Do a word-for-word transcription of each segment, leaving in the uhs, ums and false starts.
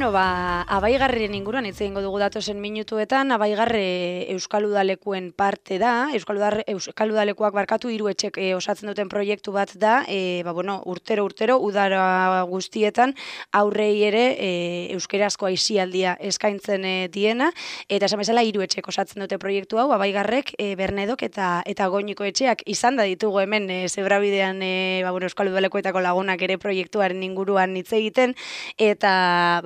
Bueno, ba, Abaigarren inguruan hitz egingo dugu datozen minutuetan. Abaigarre Euskal Udalekuen parte da. Euskal, Udar, Euskal Udalekuak barkatu hiru etxek e, osatzen duten proiektu bat da. E, ba, bueno, urtero urtero udara guztietan aurrei ere e, euskerazko aisialdia eskaintzen e, diena. Eta esan bezala hiru etxek osatzen dute proiektu hau. Abaigarrek, e, Bernedok eta eta Goñiko etxeak izan da ditugu hemen e, Zebrabidean e, ba, bueno, Euskal Udalekuetako lagunak ere proiektuaren inguruan hitz egiten. Eta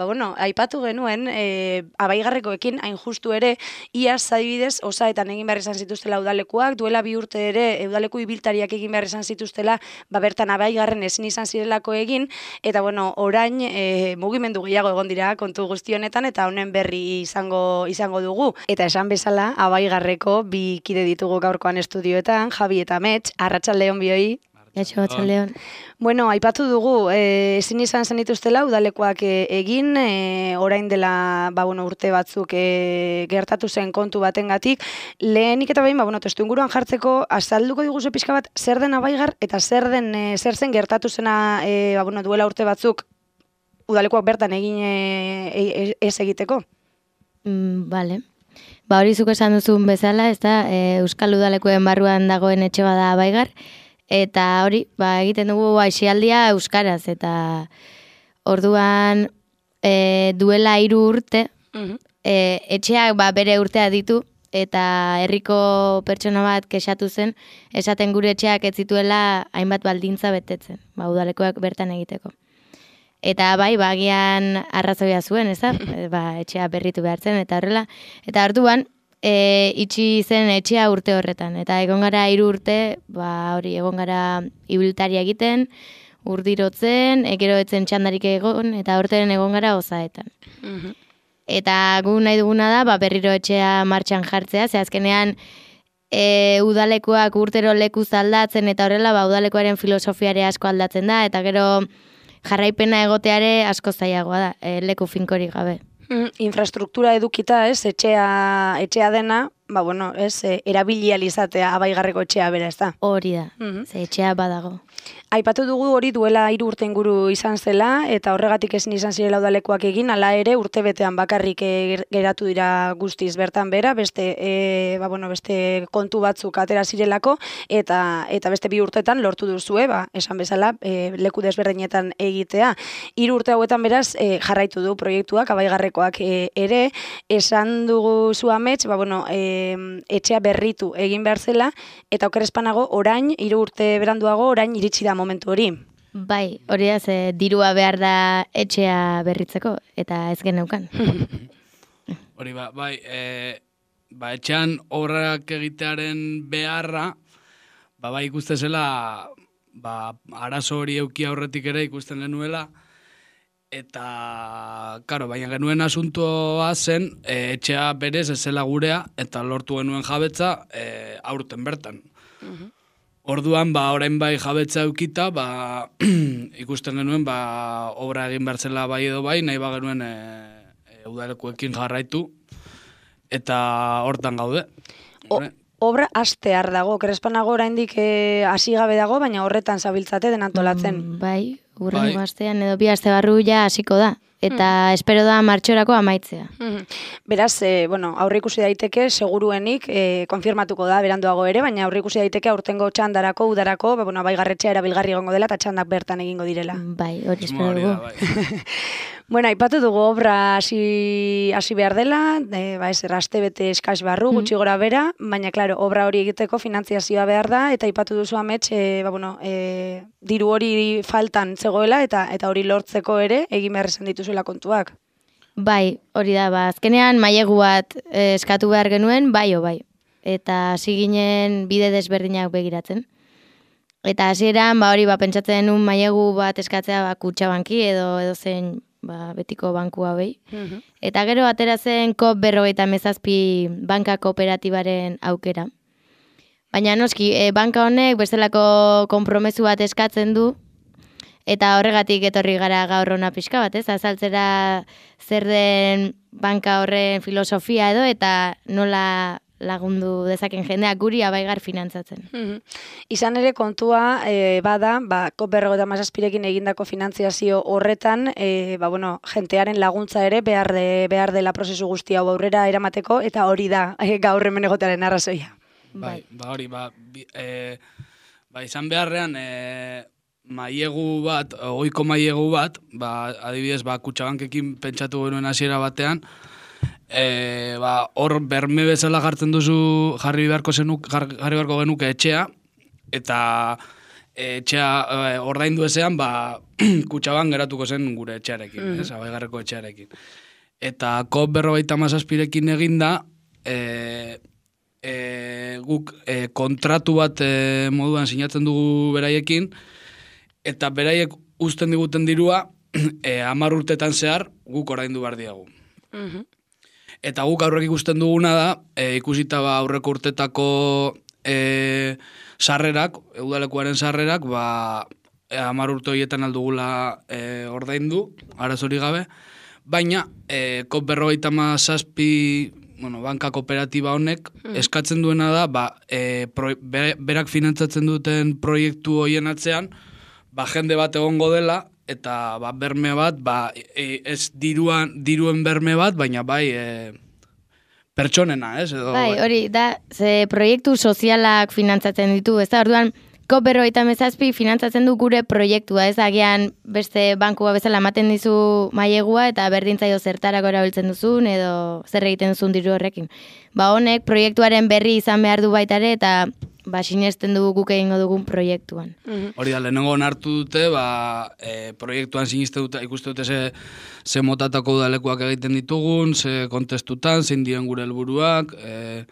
ba, bueno, aipatu genuen, e, Abaigarrekoekin hain justu ere, iaz adibidez osaetan egin behar izan zituztela udalekuak, duela bi urte ere udaleku ibiltariak egin behar izan zituztela, ba bertan Abaigarren ezin izan zirelako egin, eta bueno, orain e, mugimendu gehiago egon dira kontu guzti honetan, eta honen berri izango izango dugu. Eta esan bezala, Abaigarreko bi kide ditugu gaurkoan estudioetan, Javi eta Mets, arratsaldeon bioi. Etxo, atxaldeon. Bueno, aipatu dugu, e, ezin izan zenituztela udalekoak e, egin, e, orain dela ba, bueno, urte batzuk e, gertatu zen kontu batengatik. Lehenik eta behin, ba, bueno, testu inguruan jartzeko, azalduko diguzu pixka bat, zer den Abaigar eta zer den e, zer zen gertatu zena e, ba, bueno, duela urte batzuk udalekoak bertan egin e, e, ez egiteko? Mm, vale. Ba, hori zuk esan duzun bezala, ez da, e, Euskal Udalekuen barruan dagoen etxe bada Abaigar. Eta hori, ba, egiten dugu aisialdia euskaraz, eta orduan e, duela hiru urte, uh-huh. e, etxeak ba, bere urtea ditu, eta herriko pertsona bat kexatu zen, esaten gure etxeak ez zituela hainbat baldintza betetzen, ba, udalekoak bertan egiteko. Eta bai, bagian arrazoia zuen, ez da? Ba, etxea berritu behartzen, eta horrela. Eta orduan, E, itxi zen etxea urte horretan, eta egon gara hiru urte, ba hori egon gara ibiltaria egiten, urdirotzen, egero etzen txandarik egon, eta horten egon gara osaetan. Uh-huh. Eta gu nahi duguna da, ba, berriro etxea martxan jartzea, ze azkenean e, udalekoak urtero lekuz aldatzen, eta horrela ba, udalekoaren filosofiare asko aldatzen da, eta gero jarraipena egoteare asko zailagoa da, e, leku finkorik gabe. Infrastruktura edukita, ez, etxea, etxea dena, ba, bueno, ez, erabilializatea Abaigarreko etxea bera, ez da? Hori da, uh-huh. Ze etxea badago. Aipatu dugu hori duela hiru urte inguru izan zela, eta horregatik ezin izan zirela udalekoak egin, hala ere urte betean bakarrik geratu dira guztiz bertan bera, beste, e, ba, bueno, beste kontu batzuk atera zirelako, eta eta beste bi urtetan lortu duzue, ba, esan bezala, e, leku desberdinetan egitea. Hiru urte hauetan beraz e, jarraitu du proiektuak, Abaigarrekoak e, ere, esan dugu zu amets, ba, bueno, e, etxea berritu egin behar zela, eta okerrezpanago orain, hiru urte beranduago, orain iritsi da momentu hori. Bai, hori da, ze dirua behar da etxea berritzeko, eta ez geneukan. Hori ba, bai, e, ba, etxean obrak egitearen beharra, ba, bai ikuste zela, ba, arazo hori euki aurretik ere ikusten genuela, eta, karo, baina genuen asuntoa zen, e, etxea berez ez zela gurea, eta lortu genuen jabetza e, aurten bertan. Uh-huh. Orduan, ba, orain bai jabetza eukita, ba, ikusten genuen, ba, obra egin behar zela bai edo bai, nahi ba genuen e, e, udalekuekin jarraitu, eta hortan gaude. O, obra hastear dago, Krespanago oraindik hasi gabe dago, baina horretan zabiltzate denantolatzen. Mm, bai, urrengo bai. Astean edo bi aste barru ja hasiko da. Eta mm. espero da martxorako amaitzea. Mm. Beraz, e, bueno, aurreikusi daiteke, seguruenik, e, konfirmatuko da, beranduago ere, baina aurreikusi daiteke aurtengo txandarako, udarako, ba, bueno, Abaigarretxea erabilgarri egongo dela, eta txandak bertan egingo direla. Bai, hori espero dugu. Bai. Bueno, aipatu dugu obra hasi hasi behar dela, e, ba ez erraste bete eskas barru, gutxi gora bera, baina, klaro, obra hori egiteko finantziazioa behar da, eta aipatu duzu amets, e, ba, bueno, e, diru hori faltan zegoela, eta eta hori lortzeko ere, egin behar esan dituzuela kontuak. Bai, hori da, ba, azkenean mailegu bat e, eskatu behar genuen, bai o bai, eta hasi ginen bide desberdinak begiratzen. Eta hasieran ba, hori ba, pentsatzen un mailegu bat eskatzea ba, Kutxabanki edo edo zen ba, betiko banku hauei. Uh-huh. Eta gero ateratzen kop berrogeita mezazpi banka kooperatibaren aukera. Baina noski, e, banka honek bestelako konpromesu bat eskatzen du, eta horregatik etorri gara gaur hona pixka bat, ez? Azaltzera zer den banka horren filosofia edo, eta nola lagundu dezaken jendeak guri abaigar finantzatzen. Mhm. Izan ere kontua e, bada, ba, COP berrogeita hamazazpirekin egindako finantziazio horretan, e, ba, bueno, jentearen laguntza ere behar, de, behar dela prozesu guzti hau aurrera eramateko, eta hori da e, gaur hemen egotearen arrazoia. Bai, ba hori, ba, bi, e, ba izan beharrean, e, mailegu bat, ohiko mailegu bat, ba, adibidez, ba, Kutxabankekin pentsatu genuen hasiera batean, e, ba, hor berme bezala jartzen duzu jarri beharko zenuk, jarri beharko genuke etxea, eta e, etxea e, ordaindu ezean, ba, Kutxaban geratuko zen gure etxearekin, mm. ez, abaigarreko etxearekin. Eta COP berrogeita hamazazpirekin eginda, e, E, guk e, kontratu bat e, moduan sinatzen dugu beraiekin, eta beraiek uzten diguten dirua e, hamar urtetan zehar guk oraindu behar diagu. Mm-hmm. Eta guk aurrek ikusten duguna da, e, ikusita ba aurreko urtetako e, sarrerak, udalekuaren sarrerak, ba, e, hamar urte horietan aldugula e, ordaindu, arazori gabe, baina e, COP berrogeita hamazazpi bueno, banka kooperatiba honek hmm. eskatzen duena da, ba, e, pro, berak finantzatzen duten proiektu hoien atzean, ba, jende bat egongo dela, eta ba, berme bat, ba, e, ez diruan, diruen berme bat, baina bai e, pertsonena, ez? Edo, bai, hori, da, ze proiektu sozialak finantzatzen ditu, ez da, orduan, COP berrogeita hamazazpi finantzatzen du gure proiektua, ez agian beste bankua bezala ematen dizu mailegua eta berdintzaio zertarako erabiltzen duzun edo zer egiten duzun diru horrekin. Ba honek proiektuaren berri izan behar du baita ere eta ba sinesten dugu guk egingo dugun proiektuan. Mm-hmm. Hori da, lehenengo onartu dute, ba, e, proiektuan siniste dute, ikuste dute ze, ze motatako udalekuak egiten ditugun, ze kontestutan, zein diren gure helburuak, e,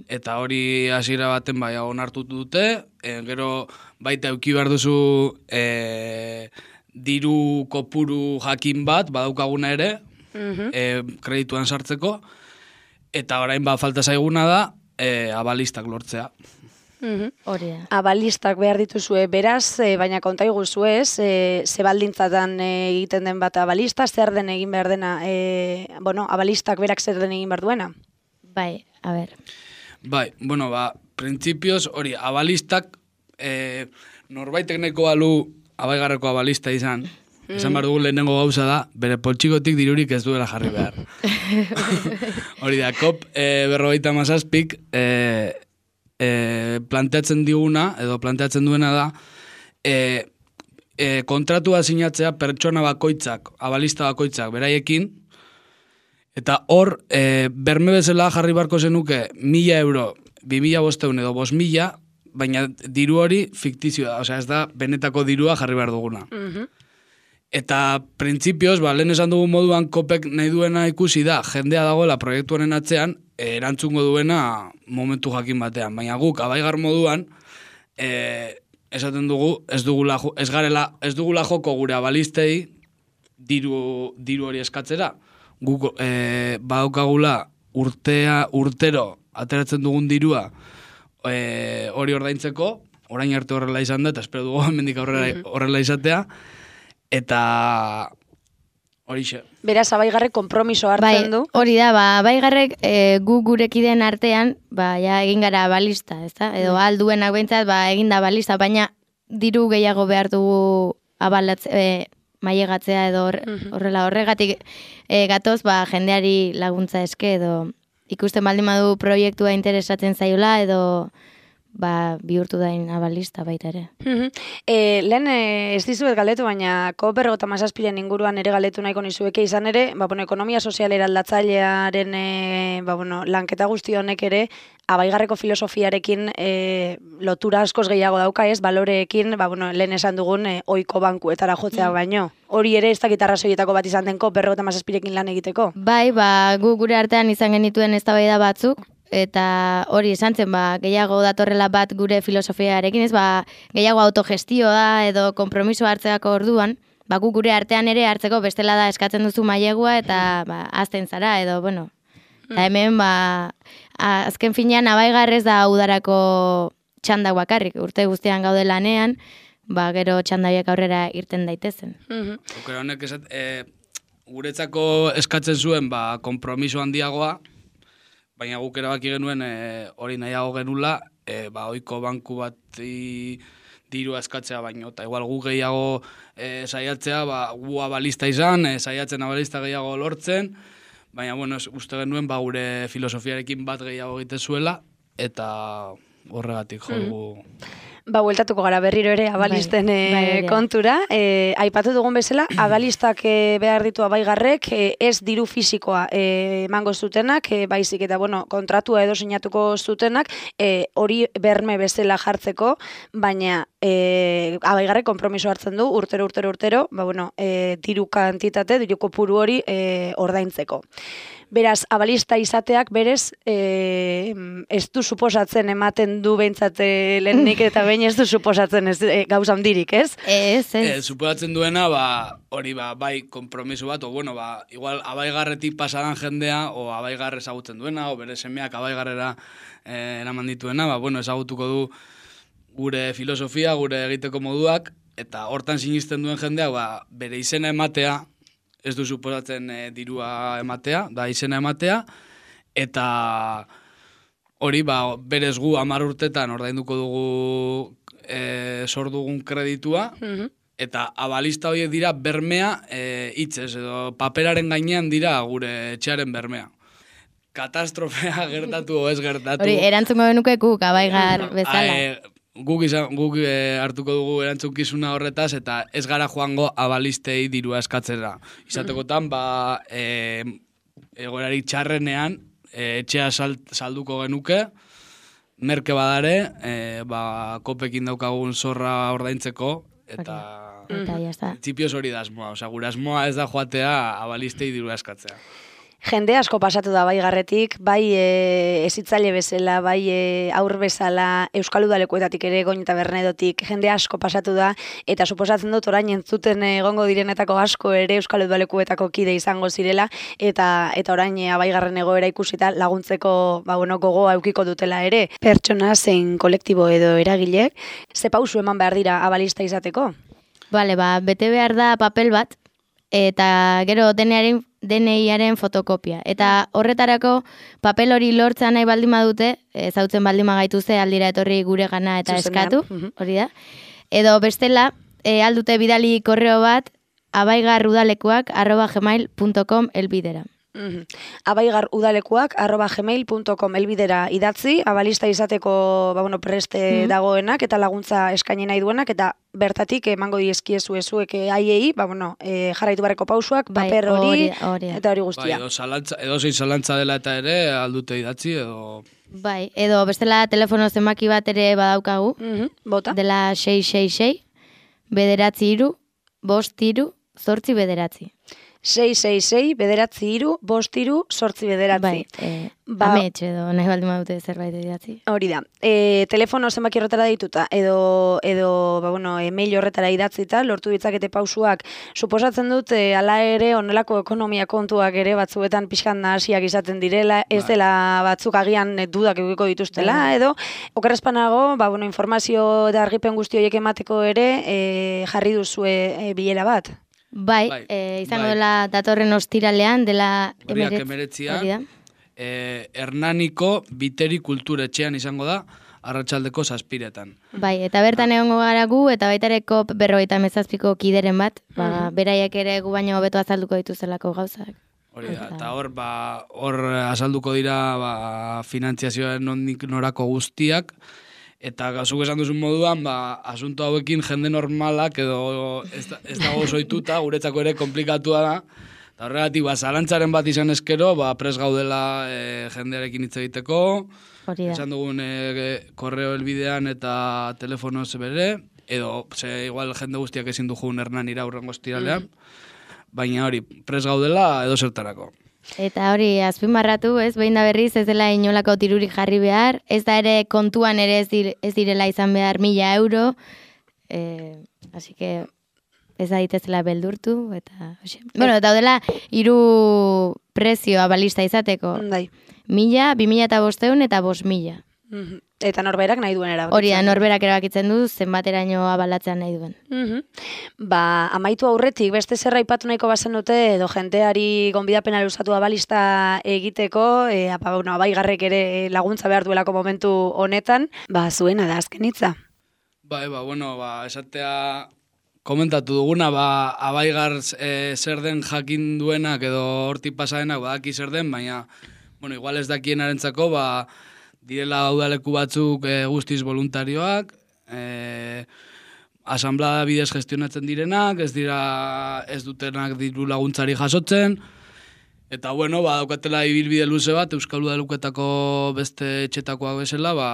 eta hori hasiera baten bai onartu dute, e, gero baita eduki behar duzu e, diru kopuru jakin bat, badaukaguna ere, mm-hmm. e, kredituan sartzeko, eta orain ba falta zaiguna da, e, abalistak lortzea. Mm-hmm. Hori da. Abalistak behar dituzue, beraz, e, baina konta iguzu ez, e, ze baldintzatan e, egiten den bat abalista, zer den egin behar dena, e, bueno, abalistak berak zer den egin behar duena? Bai, a ber... Bai, bueno, ba, printzipioz, hori, abalistak, e, norbaitek neko balu abaigarreko abalista izan, mm. esan behar dugu lehenengo gauza da, bere poltsikotik dirurik ez duela jarri behar. Hori da, COP e, berrogeita hamazazpik e, e, planteatzen diguna, edo planteatzen duena da, e, e, kontratua sinatzea pertsona bakoitzak, abalista bakoitzak, beraiekin, eta hor, e, berme bezala jarri barko zenuke mila euro, bi mila bosteun edo bos mila, baina diru hori fiktizioa, osea ez da benetako dirua jarri behar duguna. Mm-hmm. Eta printzipioz, ba, lehen esan dugu moduan kopek nahi duena ikusi da, jendea dagoela proiektuaren atzean, e, erantzungo duena momentu jakin batean. Baina guk, abaigar moduan, e, esaten dugu, ez dugula, ez garela, ez dugula joko gure abalistei diru, diru hori eskatzera. Guk e, badaukagula urtea, urtero ateratzen dugun dirua e, hori ordaintzeko, orain arte horrela izan da, eta espero dugu hemendik horrela, horrela izatea, eta horixe. Beraz, abaigarrek konpromiso hartzen du. Bai, hori da, ba, abaigarrek e, gu gurekideen artean, ba, ja, egin gara balista, ezta? Edo mm. alduenak behintzat, ba, egin da balista, baina diru gehiago behar dugu abalatze, e, mailegatzea edo horrela horregatik e, gatoz ba, jendeari laguntza eske edo ikusten baldin badu proiektua interesatzen zaiola edo ba, bihurtu dain abalista baita ere. e, lehen e, ez dizuet galdetu, baina COP berrogeita hamazazpiren inguruan ere galdetu nahiko nizueke izan ere, ba, bueno, ekonomia sozialera aldatzailearen e, ba, bueno, lanketa guzti honek ere abaigarreko filosofiarekin e, lotura askoz gehiago dauka, ez, baloreekin, ba, bueno, lehen esan dugun e, ohiko bankuetara jotzea mm. baino. Hori ere ez dakit arrazoietako bat izan den COP berrogeita hamazazpirekin lan egiteko? Bai, ba, gu gure artean izan genituen eztabaida batzuk, eta hori esan zen, ba, gehiago datorrela bat gure filosofiarekin, ez, ba, gehiago autogestioa edo konpromiso hartzeako orduan, ba, gu gure artean ere hartzeko bestela da eskatzen duzu mailegua eta ba, azten zara, edo, bueno, eta hemen, ba, azken finean abaigarrez da udarako txandak bakarrik, urte guztian gaude lanean, ba, gero txandaiak aurrera irten daitezen. Okera honek esat, e, guretzako eskatzen zuen, ba, konpromiso handiagoa, baina guk erabaki genuen e, hori nahiago genula, e, ba, oiko banku bat diru eskatzea baino, eta igual gu gehiago e, saiatzea, ba, gu abalista izan, e, saiatzen abalista gehiago lortzen, baina, bueno, uste genuen, ba, gure filosofiarekin bat gehiago egite zuela, eta horregatik jo dugu. Mm. Ba, bueltatuko gara berriro ere abalisten bai, bai, kontura. E, aipatu dugun bezala, abalistak e, behar ditu abaigarrek, e, ez diru fisikoa e, emango zutenak, e, baizik eta bueno, kontratua edo sinatuko zutenak, e, hori berme bezala jartzeko, baina e, abaigarrek konpromiso hartzen du, urtero, urtero, urtero, ba, bueno, e, diru kantitate, diru kopuru hori e, ordaintzeko. Beraz, abalista izateak berez, e, ez du suposatzen ematen du behintzat lehenik eta behin ez du suposatzen ez, e, gauza handirik, ez? Ez, ez. E, suposatzen duena, ba, hori ba, bai konpromiso bat, o bueno, ba, igual abaigarretik pasadan jendea, o abaigarre ezagutzen duena, o bere semeak abaigarrera e, eraman dituena, ba, bueno, ezagutuko du gure filosofia, gure egiteko moduak, eta hortan sinisten duen jendeak, ba, bere izena ematea, ez du suposatzen e, dirua ematea, da izena ematea, eta hori, ba, berez gu hamar urtetan ordainduko dugu e, sor dugun kreditua, mm-hmm. eta abalista horiek dira bermea e, hitzez, edo paperaren gainean dira gure etxearen bermea. Katastrofea gertatu o ez gertatu. Hori, erantzungo benuke guk, abaigar bezala. A, e, Guk, izan, guk e, hartuko dugu erantzunkizuna horretaz, eta ez gara joango abalistei dirua eskatzera. Izatekotan, ba, e, egoerarik txarrenean, e, etxea sal, salduko genuke, merke badare, e, ba, kopekin daukagun zorra ordaintzeko, eta... Eta jazta. Txipioz hori da asmoa, oza, gure asmoa ez da joatea abalistei dirua eskatzea. Jende asko pasatu da baigarretik, bai e, ezitzaile bezala, bai e, aur bezala, Euskal Udalekuetatik ere, Goin eta Bernedotik, jende asko pasatu da, eta suposatzen dut orain entzuten egongo direnetako asko ere Euskal Udalekuetako kide izango zirela, eta eta orain e, abaigarren egoera ikusita laguntzeko ba, bueno, gogoa eukiko dutela ere. Pertsona zein kolektibo edo eragilek, ze pausu eman behar dira abalista izateko? Bale, ba, bete behar da papel bat, eta gero denearen D N I-aren fotokopia. Eta horretarako papel hori lortza nahi baldin badute, ezautzen baldin magaituze aldira etorri gure gana eta eskatu, hori da. Edo bestela, e, aldute bidali korreo bat, abaigarudalekuak arroba gmail punto com elbidera. Mm-hmm. abaigarudalekuak arroba gmail punto com elbidera idatzi, abalista izateko ba, bueno, preste mm-hmm. dagoenak eta laguntza eskaini nahi duenak, eta bertatik emango diezkiezu ezuek haiei, ba, bueno, e, jarraitu barreko pausuak, bai, paper hori, hori eta hori guztia. Bai, edo, zalantza, edo zein zalantza dela eta ere aldute idatzi, edo... Bai, edo bestela telefono zenbaki bat ere badaukagu, mm-hmm. Bota. Dela sei sei sei, bederatzi iru, bost iru, zortzi bederatzi. sei sei sei, bederatzi iru, bost iru, sortzi bederatzi. Bai, e, ba, ametxe edo nahi baldin badute zerbait idatzi. Hori da. E, telefono zenbaki horretara dituta, edo, edo ba, bueno, email horretara idatzita, lortu ditzakete pausuak, suposatzen dut, e, ala ere onelako ekonomia kontuak ere batzuetan pixkan nahasiak izaten direla, ez dela batzuk agian dudak egiko dituztela, bai. Edo, okerrezpanago, ba, bueno, informazio eta argipen guzti horiek emateko ere, e, jarri duzue e, bilera bat. Bai, bai, e, izango bai. Dela datorren ostiralean, dela emeretzian, e, Hernaniko Biteri Kulturetxean izango da, arratsaldeko zazpiretan. Bai, eta bertan egongo gara gu, eta baitareko berrogeita mezazpiko kideren bat, ba, mm-hmm. beraiek ere gu baino hobeto azalduko dituzelako gauzak. Hori da, eta hor, ba, hor azalduko dira ba, finantziazioaren nondik norako guztiak, eta zuk esan duzun moduan, ba, asunto hauekin jende normalak edo ez, ez dago zoituta, guretzako ere komplikatua da. Eta horregatik, ba, zalantzaren bat izan eskero, ba, pres gaudela e, jendearekin hitz egiteko. Hori da. Esan dugun e, korreo helbidean eta telefono bere, edo, ze, igual jende guztiak ezin du jugun Hernanira urrengo estiralean, mm. baina hori, pres gaudela edo zertarako. Eta hori, azpimarratu, ez, behin da berriz, ez dela inolako tirurik jarri behar, ez da ere kontuan ere ez, dir, ez direla izan behar mila euro, e, así que ez da ditezela beldurtu, eta, oxe. Bueno, daudela, hiru prezio abalista izateko. Dai. Mila, bi mila eta bosteun eta bost mila. Mm-hmm. Eta norberak nahi duen erabakitzen. Hori da, norberak erabakitzen du, zenbateraino abalatzea nahi duen. Mhm. Ba, amaitu aurretik, beste zerra aipatu nahiko bazen dute, edo jenteari gonbidapena luzatu abalista egiteko, e, apa, bueno, abaigarrek ere laguntza behar duelako momentu honetan, ba, zuena da azken hitza. Bai, ba, bueno, ba, esatea komentatu duguna, ba, abaigar e, zer den jakin duenak edo hortik pasadenak badaki zer den, baina, bueno, igual ez dakienarentzako, ba, direla udaleku batzuk e, guztiz voluntarioak, e, asamblea bidez gestionatzen direnak, ez dira ez dutenak diru laguntzari jasotzen, eta bueno, ba, daukatela ibilbide luze bat, Euskal Udaleketako beste etxetakoak bezala, ba,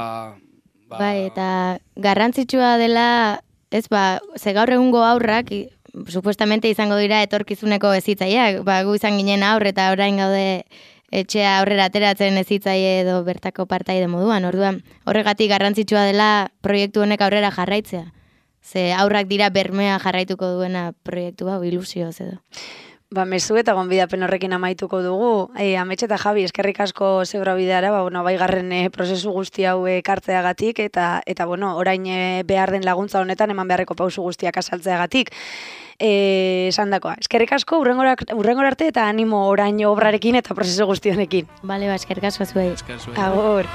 ba... Bai, eta garrantzitsua dela, ez ba, ze gaur egungo aurrak, i, supuestamente izango dira etorkizuneko hezitzaileak, ba, gu izan ginen aurre eta orain gaude etxea aurrera ateratzen hezitzaile edo bertako partaide moduan, orduan, horregatik garrantzitsua dela proiektu honek aurrera jarraitzea. Ze aurrak dira bermea jarraituko duena proiektu hau ilusioz edo. Ba, mezu eta gonbidapen horrekin amaituko dugu. E, Ametxe eta Javi, eskerrik asko zeura bideara, ba, bueno, baigarren e, prozesu guzti hau ekartzeagatik, eta, eta bueno, orain e, behar den laguntza honetan eman beharreko pausu guztiak asaltzeagatik. E, esan dakoa, eskerrik asko, urrengor arte eta animo orain obrarekin eta prozesu guzti honekin. Bale, ba, eskerrik asko zuei. Esker zuei. Agur.